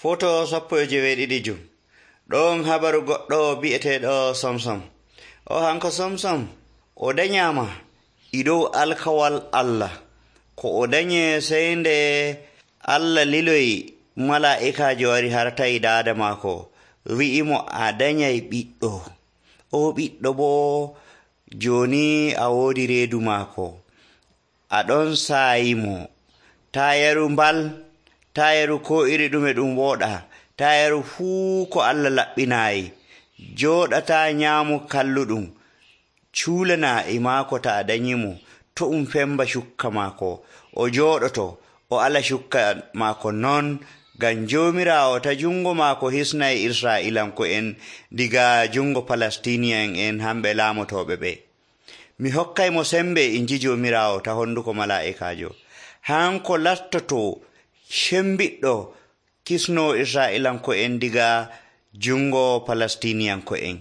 Foto 17 ɗon habaru goɗɗo bi'eteeɗo Samson. O hanko Samson o danyama e dow alkawal Allah. Ko o danye sey nde Allah liloyi mala'ikaajo wari hartayi daada maako, wi'imo a danyay ɓiɗɗo. O ɓiɗɗo boo jooni a woodi reedu maako, a ɗon saayimo. Taa yaru mbal, taa yaru ko iri ɗume ɗum wooɗa, taa yaru fuu ko Allah laɓɓinaayi. Jooɗataa nyaamu kalluɗum, cuulana e maako ta a danyimo, to femba cukka maako. O jooɗoto, o ala cukka maako non, ngam Joomiraawo ta jungo maako hisnay Israa'iilanko'en diga jungo Palestiniyan'en hamɓe laamotooɓe ɓe. Mi hokkaymo sembe inji Joomiraawo ta honduko mala'ikaajo. Hanko lastoto cembiɗɗo kisno Israa'iilanko'en diga jungo Palestiniyanko'en.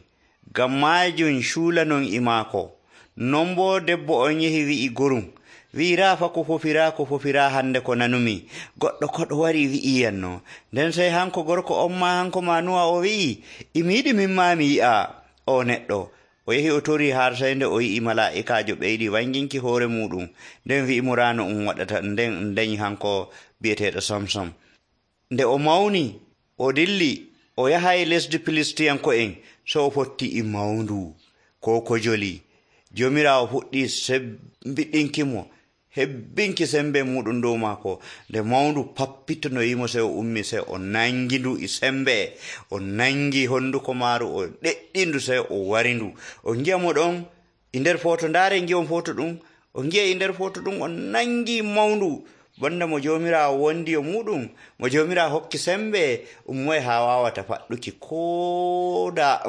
Ngam maajum cuulanon e maako. Non boo debbo on yehi wi'i gurum, wi'i raafa ko fofiraa hande ko nanumi. Goɗɗo koɗo wari wi'iyanno. Nden sey hanko gorko on ma hanko manuwa o wi'i, imi yiɗi min maa mi yi'a o neɗɗo. O yehi o tori har sey nde o yi'i mala'ikaajo ɓeydi wanginki hoore muɗum. Nden wi'i mo raano waɗata, nden dañi hanko bi'eteeɗo Samson. Nde o mawni, o dilli, o yahay lesdi Filistiyanko'en, so o fotti e mawndu ko kojoli. Joomiraawo fuɗɗi sembiɗinki mo, hebbinki sembe muɗum dow maako. Nde mawndu pappitonoyimo, sey o ummi, sey o nangi ndu e sembe. O nangi honduko maaru, o ɗeɗɗindu, sey o warindu. O ngi'a mo ɗon e nder foto, ndaare ngi'on foto ɗum. O ngi'a e nder foto ɗum o nangi mawndu, banda mo Joomiraawo wondi yo muɗum, mo Joomiraawo hokki sembe, ummoy haa waawata faɗɗuki ko da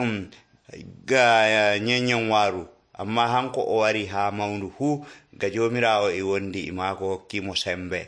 ga nyenyen waaru. Amma hanko o wari haa mawndu fuu, ga Joomiraawo e wondi e maako hokkimo sembe.